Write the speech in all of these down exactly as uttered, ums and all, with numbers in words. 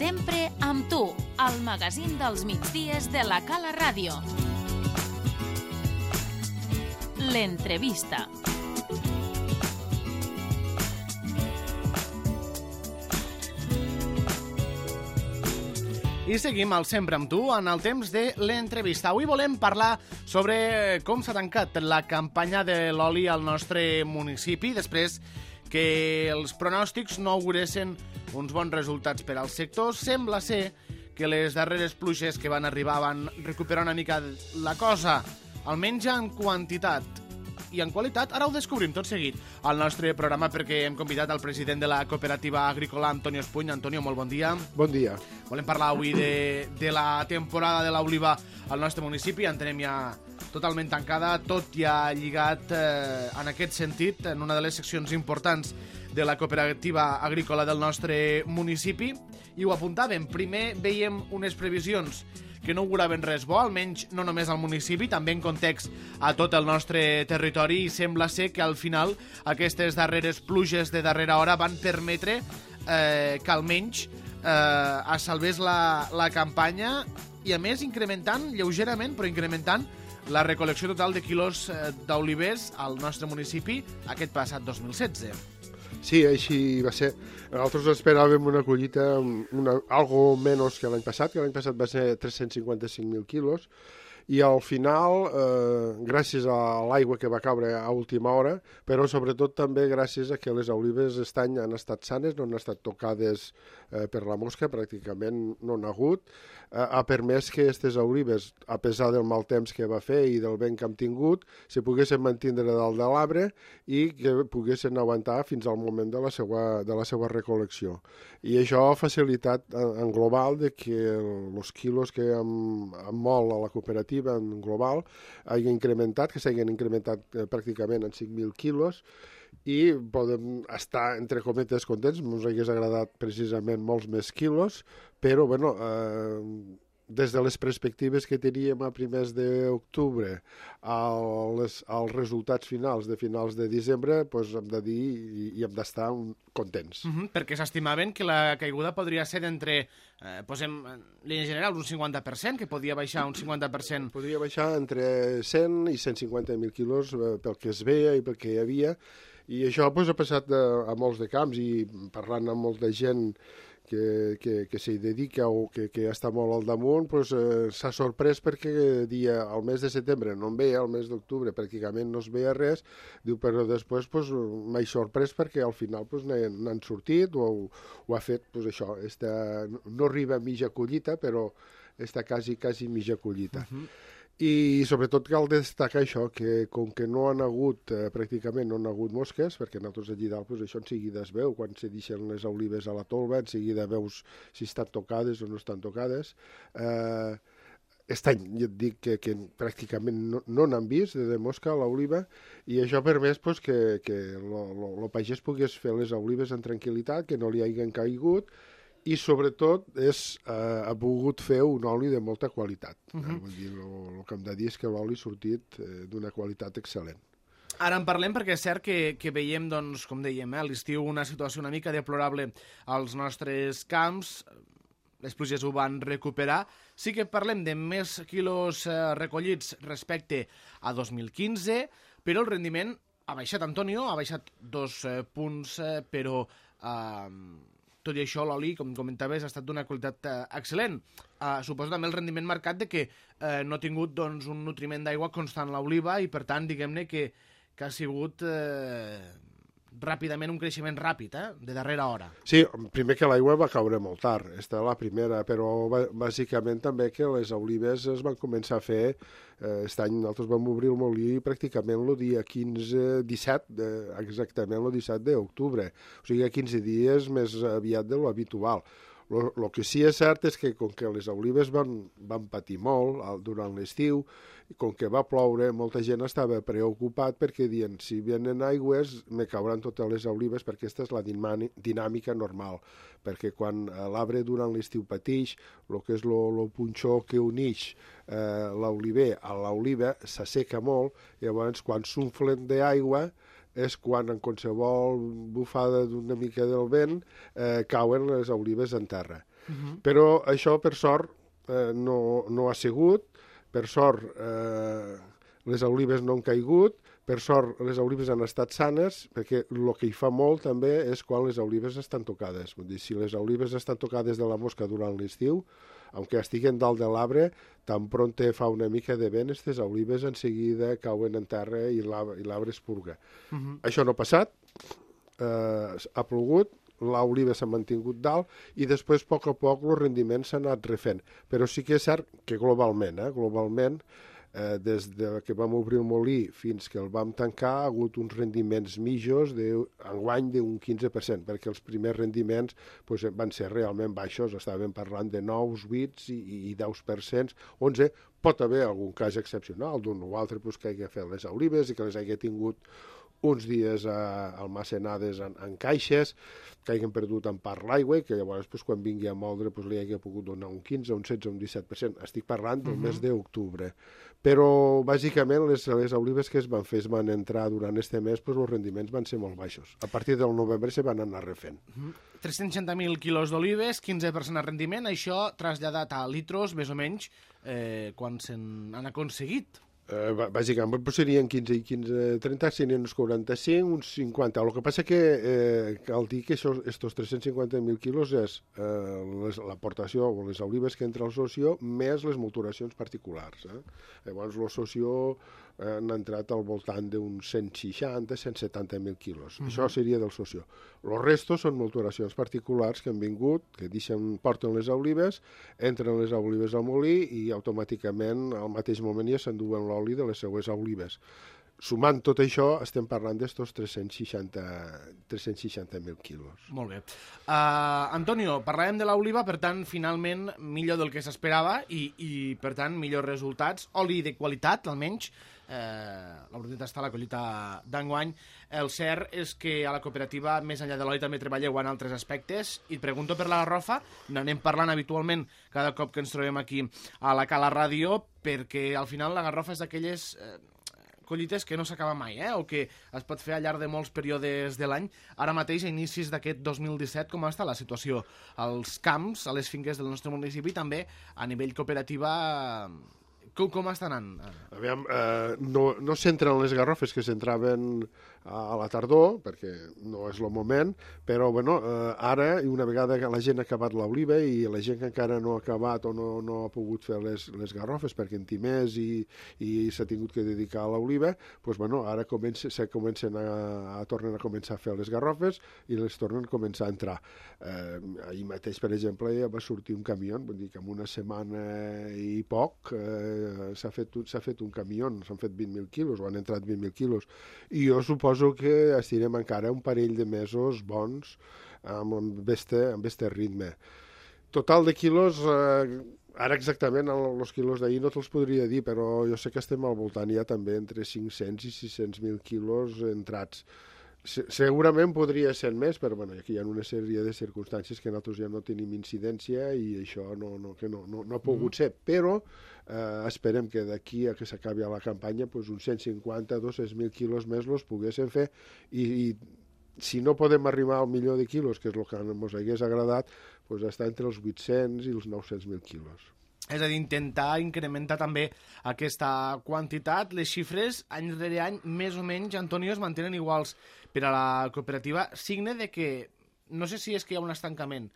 Sempre amb tu, al magazín dels migdies de la Cala Ràdio. L'entrevista. I seguim al Sempre amb tu en el temps de l'entrevista. Avui volem parlar sobre com s'ha tancat la campanya de l'oli al nostre municipi després que els pronòstics no auguressin uns bons resultats per al sector. Sembla ser que les darreres pluges que van arribar van recuperar una mica la cosa, almenys en quantitat. I en qualitat, ara ho descobrim tot seguit al nostre programa perquè hem convidat al president de la cooperativa agrícola, Antonio Espuny. Antonio, molt bon dia. Bon dia. Volem parlar avui de, de la temporada de l'oliva al nostre municipi. En tenem ja totalment tancada, tot ja lligat eh, en aquest sentit, en una de les seccions importants de la cooperativa agrícola del nostre municipi. I ho apuntàvem, primer veiem unes previsions que no auguraven res bo, almenys no només al municipi, també en context a tot el nostre territori, i sembla ser que al final aquestes darreres pluges de darrera hora van permetre eh, que almenys eh, es salvés la, la campanya i a més incrementant lleugerament, però incrementant la recol·lecció total de quilos eh, d'olivers al nostre municipi aquest passat dos mil setze. Sí, així va ser. Nosaltres esperàvem una collita una, algo menys que l'any passat, que l'any passat va ser tres-cents cinquanta-cinc mil quilos, i al final, eh, gràcies a l'aigua que va caure a última hora, però sobretot també gràcies a que les olives aquest any han estat sanes, no han estat tocades eh, per la mosca, pràcticament no n'ha hagut, eh, ha permès que aquestes olives, a pesar del mal temps que va fer i del vent que hem tingut, se poguessin mantindre dalt de l'arbre i que poguessin aguantar fins al moment de la seva, de la seva recol·lecció. I això ha facilitat en global de que els quilos que hem, hem molt a la cooperativa en global hagin incrementat, que s'hagin incrementat eh, pràcticament en cinc mil quilos, i podem estar, entre cometes, contents. Ens hagués agradat precisament molts més quilos, però, bueno, eh, des de les perspectives que teníem a primers d'octubre als, als resultats finals de finals de desembre, doncs hem de dir i, i hem d'estar contents. Uh-huh, perquè s'estimaven que la caiguda podria ser d'entre, eh, posem en línia general, un cinquanta per cent, que podia baixar un cinquanta per cent. Podria baixar entre cent i cent cinquanta mil quilos eh, pel que es veia i pel que hi havia, i això doncs, ha passat a, a molts de camps, i parlant amb molta gent que, que, que s'hi dedica o que, que està molt al damunt, doncs, eh, s'ha sorprès perquè dia, al mes de setembre no en veia, al mes d'octubre pràcticament no es veia res, diu, però després doncs, m'he sorprès perquè al final doncs, n'han sortit o, o ha fet doncs, això, esta, no arriba a mitja collita, però està quasi, quasi mitja collita. Uh-huh. I sobretot cal destacar això, que com que no han hagut, eh, pràcticament no han hagut mosques, perquè nosaltres allí dalt pues, això en seguida es veu, quan se deixen les olives a la tolva, en seguida veus si estan tocades o no estan tocades. Eh, aquest any jo et dic que, que pràcticament no, no n'han vist de mosca a l'oliva, i això ha permès pues, que, que el pagès pogués fer les olives en tranquil·litat, que no li hagin caigut, i sobretot és, eh, ha volgut fer un oli de molta qualitat. Uh-huh. eh, vull dir, el que hem de dir és que l'oli ha sortit eh, d'una qualitat excel·lent. Ara en parlem perquè és cert que, que veiem, doncs, com dèiem, eh, a l'estiu una situació una mica deplorable als nostres camps, les pluges ho van recuperar. Sí que parlem de més quilos eh, recollits respecte a dos mil quinze, però el rendiment ha baixat, Antonio, ha baixat dos eh, punts, eh, però... Eh, tot i això, l'oli, com comentaves, ha estat d'una qualitat eh, excel·lent. Eh, suposo també el rendiment marcat de que eh, no ha tingut doncs, un nutriment d'aigua constant l'oliva i, per tant, diguem-ne que, que ha sigut eh, ràpidament un creixement ràpid, eh, de darrera hora. Sí, primer que l'aigua va caure molt tard, aquesta la primera, però bàsicament també que les olives es van començar a fer. Aquest any nosaltres vam obrir el molí pràcticament el dia quinze disset, exactament el disset d'octubre, o sigui quinze dies més aviat de lo habitual. El que sí és cert és que com que les olives van, van patir molt durant l'estiu, i com que va ploure, molta gent estava preocupat perquè diuen, si venen aigües, me cauran totes les olives, perquè aquesta és la dinàmica normal, perquè quan l'arbre durant l'estiu pateix, el que és el punxó que uneix eh, l'oliver a l'oliva s'asseca molt, llavors quan s'unflen d'aigua és quan en qualsevol bufada d'una mica del vent eh, cauen les olives en terra. Uh-huh. Però això, per sort, eh, no, no ha sigut. Per sort, eh, les olives no han caigut. Per sort, les olives han estat sanes, perquè el que hi fa molt també és quan les olives estan tocades. Vull dir, si les olives estan tocades de la mosca durant l'estiu, aunque estiguen dalt de l'arbre, tan pront fa una mica de vent, aquestes olives en seguida cauen en terra i l'arbre es purga. Uh-huh. Això no ha passat, eh, ha plogut, l'oliva s'ha mantingut dalt i després, a poc a poc, el rendiment s'ha anat refent. Però sí que és cert que globalment, eh, globalment, Eh, des de que vam obrir el molí fins que el vam tancar ha hagut uns rendiments mitjos d'enguany d'un quinze per cent, perquè els primers rendiments pues, van ser realment baixos, estàvem parlant de nou, vuit i, i deu per cent, onze. Pot haver algun cas excepcional d'un o altre pues, que hagi fet les olives i que les hagi tingut uns dies a almacenades en, en caixes, que hagin perdut en part l'aigua i que llavors pues, quan vingui a moldre pues, li hagi pogut donar un quinze, un setze, un disset per cent. Estic parlant del uh-huh. mes d'octubre. Però, bàsicament, les, les olives que es van fer, es van entrar durant este mes, pues, els rendiments van ser molt baixos. A partir del novembre se van anar refent. Uh-huh. tres-cents seixanta mil quilos d'olives, quinze per cent de rendiment, això traslladat a litros, més o menys, eh, quan se n'han aconseguit? Eh, bàsicament pues serien quinze i quinze, trenta, serien uns quaranta-cinc, uns cinquanta. El que passa que eh, cal dir que aquests tres-cents cinquanta mil quilos és eh, l'aportació o les olives que entra al socio més les multuracions particulars. Eh? Llavors, el socio eh, han entrat al voltant d'uns cent seixanta, cent setanta mil quilos. Uh-huh. Això seria del socio. Els restos són multuracions particulars que han vingut, que deixen, porten les olives, entren les olives al molí i automàticament al mateix moment ja s'enduen l'oli de les seues olives. Sumant tot això, estem parlant d'estos tres-cents seixanta mil quilos. Molt bé. Uh, Antonio, parlàvem de l'oliva, per tant, finalment, millor del que s'esperava i, i, per tant, millors resultats. Oli de qualitat, almenys. Eh, la veritat està a la collita d'enguany. El cert és que a la cooperativa, més enllà de l'oli, també treballeu en altres aspectes. I et pregunto per la garrofa, n'anem parlant habitualment cada cop que ens trobem aquí a la Cala Ràdio, perquè al final la garrofa és d'aquelles eh, collites que no s'acaba mai, eh? O que es pot fer al llarg de molts períodes de l'any. Ara mateix, a inicis d'aquest dos mil disset, com està la situació als camps, a les finques del nostre municipi, també a nivell cooperativa... Com, com està anant? Aviam, eh, no, no s'entren les garrofes que s'entraven a, a la tardor, perquè no és el moment, però bueno, eh, ara, i una vegada que la gent ha acabat l'oliva i la gent que encara no ha acabat o no, no ha pogut fer les, les garrofes perquè en té més i, i s'ha tingut que dedicar a l'oliva, doncs bueno, ara comença, se comencen a, a tornen a començar a fer les garrofes i les tornen a començar a entrar. Eh, ahir mateix, per exemple, ja va sortir un camió, vull dir que en una setmana i poc eh, s'ha fet, fet un camió, s'han fet vint mil quilos, o han entrat vint mil quilos, i jo suposo que estirem encara un parell de mesos bons amb este, amb este ritme. Total de quilos, eh, ara exactament els quilos d'ahir no te'ls podria dir, però jo sé que estem al voltant ja també entre cinc-cents i sis-cents mil quilos entrats. Segurament podria ser més, però bueno, aquí hi ha una sèrie de circumstàncies que nosaltres ja no tenim incidència i això no, no, que no, no, no ha pogut ser, però eh, esperem que d'aquí a que s'acabi la campanya pues, uns cent cinquanta a dos-cents mil quilos més els poguéssim fer i, i si no podem arribar al milió de quilos, que és el que ens hagués agradat, pues, està entre els vuit-cents i els nou-cents mil quilos. És a dir, intentar incrementar també aquesta quantitat. Les xifres, any rere any, més o menys, Antonio, es mantenen iguals per a la cooperativa. Signe de que, no sé si és que hi ha un estancament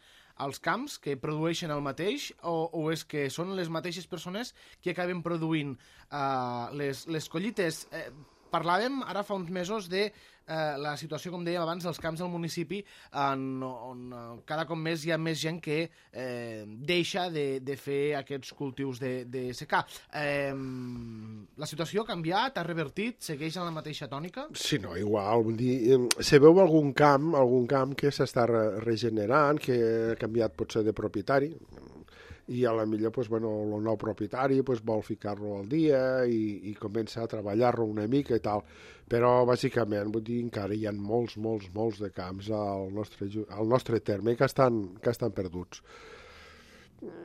als camps que produeixen el mateix o, o és que són les mateixes persones que acaben produint uh, les, les collites. Eh, parlàvem ara fa uns mesos de eh, la situació, com dèiem abans, dels camps del municipi en, on eh, cada cop més hi ha més gent que eh, deixa de, de fer aquests cultius de, de secà. Eh, la situació ha canviat, ha revertit, segueix en la mateixa tònica? Sí, no, igual. Vull dir, se veu algun camp, algun camp que s'està regenerant, que ha canviat potser de propietari, i a la millor pues, bueno, el nou propietari pues, vol ficar-lo al dia i, i comença a treballar-lo una mica i tal, però bàsicament vull dir, encara hi ha molts, molts, molts de camps al nostre, al nostre terme que estan, que estan perduts.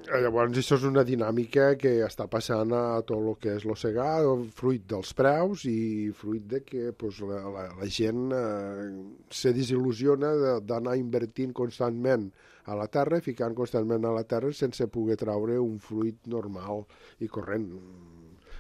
Llavors, això és una dinàmica que està passant a tot el que és l'oceà, fruit dels preus i fruit de que pues, la, la, la gent eh, se desil·lusiona d'anar invertint constantment a la terra, ficant constantment a la terra sense poder traure un fruit normal i corrent.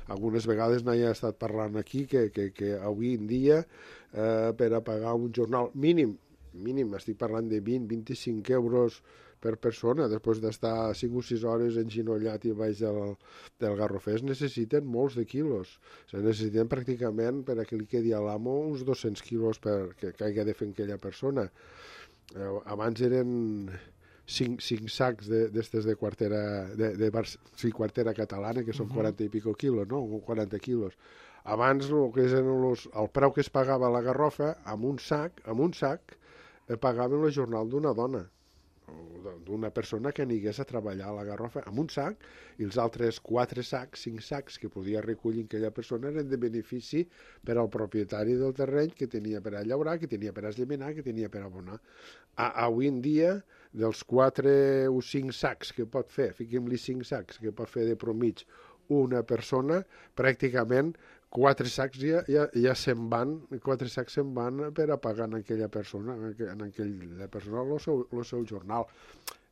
Algunes vegades n'hi ha estat parlant aquí que, que, que avui en dia eh, per a pagar un jornal mínim, mínim, estic parlant de vint a vint-i-cinc euros per persona, després d'estar cinc o sis hores enginollat i baix del, del garrofer, es necessiten molts de quilos. Se necessiten pràcticament, per a que li quedi a l'amo, uns dos-cents quilos per que, que hagi de fer aquella persona. Eh, abans eren cinc, cinc sacs d'estes de, de quartera, de, de bar, sí, quartera catalana, que són uh-huh. quaranta i pico quilos, no? quaranta quilos. Abans, el, que eren los, el preu que es pagava a la garrofa, amb un sac, amb un sac, eh, pagaven el jornal d'una dona, d'una persona que anigués a treballar a la garrofa amb un sac, i els altres quatre sacs, cinc sacs que podia recollir aquella persona eren de benefici per al propietari del terreny, que tenia per a llaurar, que tenia per a eslleminar, que tenia per a abonar. A, avui en dia, dels quatre o cinc sacs que pot fer, fiquem-li cinc sacs que pot fer de promig una persona, pràcticament quatre sacs ja, ja, ja se'n van, quatre sacs se'n van per a pagar en aquella persona, en aquella persona el seu, el seu jornal.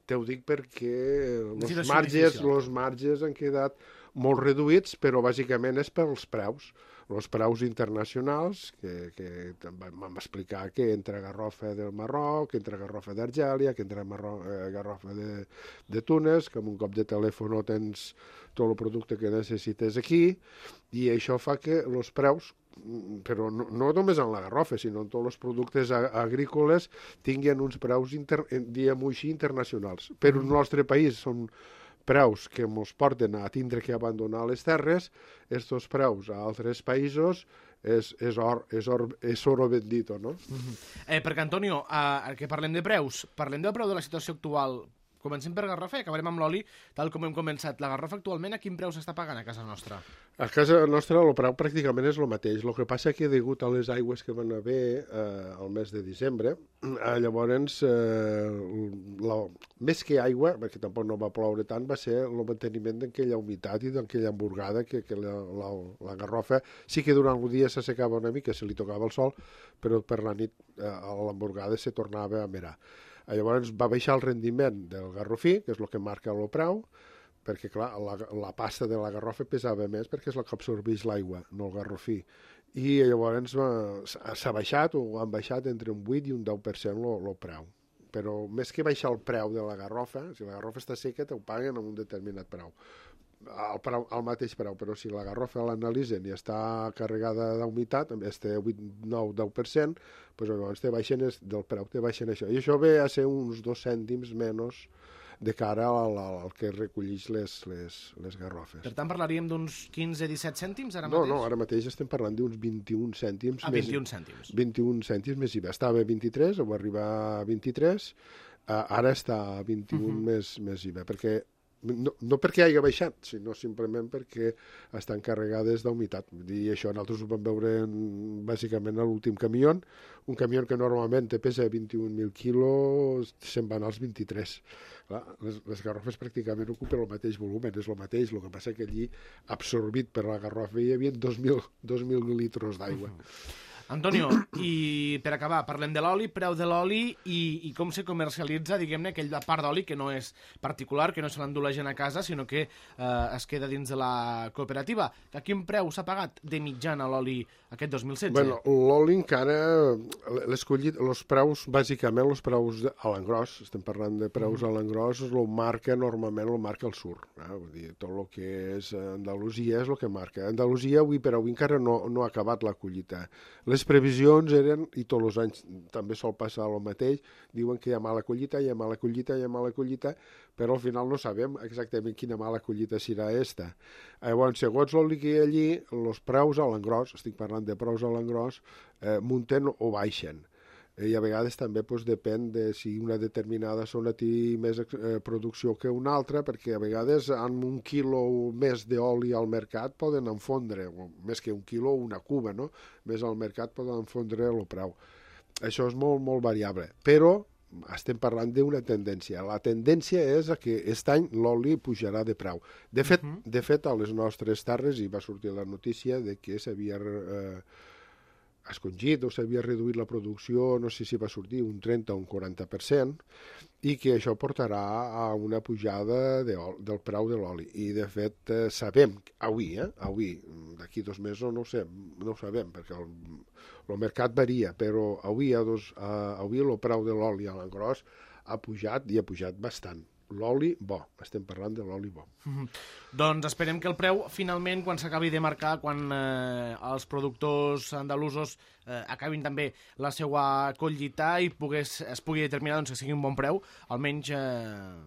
Te ho dic perquè els marges, els marges han quedat molt reduïts, però bàsicament és pels preus. Els preus internacionals, que, que vam explicar que entra garrofa del Marroc, que entra garrofa d'Argèlia, que entra Marroc, eh, garrofa de, de Túnez, que amb un cop de telèfon tens tot el producte que necessites aquí, i això fa que els preus, però no, no només en la garrofa, sinó en tots els productes agrícoles, tinguin uns preus, inter, diguem-ho així, internacionals. Però el nostre país són preus que ens porten a tindre que abandonar les terres, estos preus a altres països és, és, or, és, or, és oro bendito, no? Mm-hmm. eh, perquè, Antonio, eh, que parlem de preus, parlem del preu de la situació actual. Comencem per garrofa i acabarem amb l'oli, tal com hem començat. La garrofa actualment a quin preu s'està pagant a casa nostra? A casa nostra el preu pràcticament és el mateix. El que passa que degut a les aigües que van haver eh, al mes de desembre, eh, llavors, eh, la, més que aigua, perquè tampoc no va ploure tant, va ser el manteniment d'aquella humitat i d'aquella emborgada que, que la, la, la garrofa sí que durant el dia s'assecava una mica, se li tocava el sol, però per la nit eh, l'emborgada se tornava a mirar. Llavors va baixar el rendiment del garrofí, que és el que marca el preu, perquè clar, la, la pasta de la garrofa pesava més perquè és la que absorbeix l'aigua, no el garrofí. I llavors s'ha baixat o han baixat entre un vuit i un deu per cent el preu. Però més que baixar el preu de la garrofa, si la garrofa està seca, t'ho paguen amb un determinat preu. El, preu, el mateix preu, però si la garrofa l'analitzen i està carregada d'humitat, este vuit, nou, deu per cent, doncs llavors te baixen es, del preu, te baixen això. I això ve a ser uns dos cèntims menys de cara al, al que recolleix les, les, les garrofes. Per tant, parlaríem d'uns quinze a disset cèntims ara no, mateix? No, ara mateix estem parlant d'uns vint-i-un cèntims. Ah, vint-i-un cèntims. vint-i-un cèntims més I V A. Estava a vint-i-tres, o va arribar a vint-i-tres, ara està a vint-i-un uh-huh. més, més I V A, perquè No, no perquè hagi baixat, sinó simplement perquè estan carregades d'humitat. I això nosaltres ho vam veure en, bàsicament a l'últim camió. Un camió que normalment te pesa vint-i-un mil quilos, se'n van als vint-i-tres. Clar, les, les garrofes pràcticament ocupen el mateix volum, és el mateix, el que passa que allí, absorbit per la garrofa, hi havia dos mil litres d'aigua. Uh-huh. Antonio, i per acabar, parlem de l'oli, preu de l'oli i, i com se comercialitza, diguem-ne, aquella part d'oli que no és particular, que no se l'endú la gent a casa, sinó que eh, es queda dins de la cooperativa. A quin preu s'ha pagat de mitjana l'oli aquest dos mil setze? Bueno, l'oli encara, l'escollit, els preus, bàsicament, els preus a l'engròs, estem parlant de preus mm. a l'engròs, el marca normalment, el marca el sur. Eh? Vull dir, tot el que és Andalusia és el que marca. Andalusia, avui per avui, encara no, no ha acabat la collita. Les previsions eren, i tots els anys també sol passar el mateix, diuen que hi ha mala collita, hi ha mala collita, hi ha mala collita, però al final no sabem exactament quina mala collita serà esta. Llavors, segons el que hi ha allí, els preus a l'engròs, estic parlant de preus a l'engròs, eh, munten o baixen. I a vegades també doncs, depèn de si una determinada zona té més eh, producció que una altra, perquè a vegades amb un quilo més d'oli al mercat poden enfondre, o més que un quilo, una cuba, no? Més al mercat poden enfondre el preu. Això és molt, molt variable. Però estem parlant d'una tendència. La tendència és que aquest any l'oli pujarà de preu. De fet, uh -huh. de fet, a les nostres terres hi va sortir la notícia de que s'havia eh, escongit o s'havia reduït la producció, no sé si va sortir un trenta o un quaranta per cent, i que això portarà a una pujada de, del preu de l'oli. I, de fet, eh, sabem, avui, eh, avui, d'aquí dos mesos no ho sé, no ho sabem, perquè el, el mercat varia, però avui, a dos, a, avui el preu de l'oli a l'engròs ha pujat i ha pujat bastant. L'oli bo, estem parlant de l'oli bo. Mm-hmm. Doncs esperem que el preu, finalment, quan s'acabi de marcar, quan eh, els productors andalusos eh, acabin també la seva collita i pogués, es pugui determinar doncs, que sigui un bon preu, almenys eh,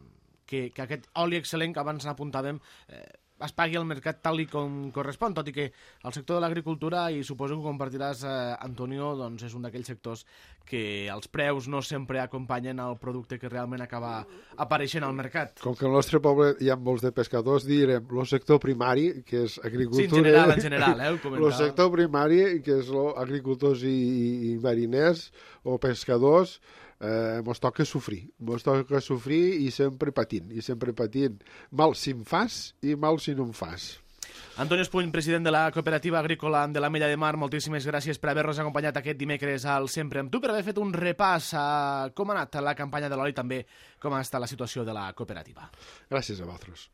que, que aquest oli excel·lent que abans n'apuntàvem eh, es pagui al mercat tal i com correspon, tot i que el sector de l'agricultura, i suposo que ho compartiràs, eh, Antonio, doncs és un d'aquells sectors que els preus no sempre acompanyen el producte que realment acaba apareixent al mercat. Com que al nostre poble hi ha molts de pescadors, direm el sector primari, que és agricultura... Sí, en general, en general, eh, ho comentava. El sector primari, que és agricultors i, i, i mariners o pescadors, eh, mos toca sofrir, mos toca sofrir i sempre patint, i sempre patint. Mal si em fas i mal si no em fas. Antonio Espuny, president de la Cooperativa Agrícola de la Mella de Mar, moltíssimes gràcies per haver-nos acompanyat aquest dimecres al Sempre amb tu, per haver fet un repàs a com ha anat la campanya de l'oli, també com ha estat la situació de la cooperativa. Gràcies a vosaltres.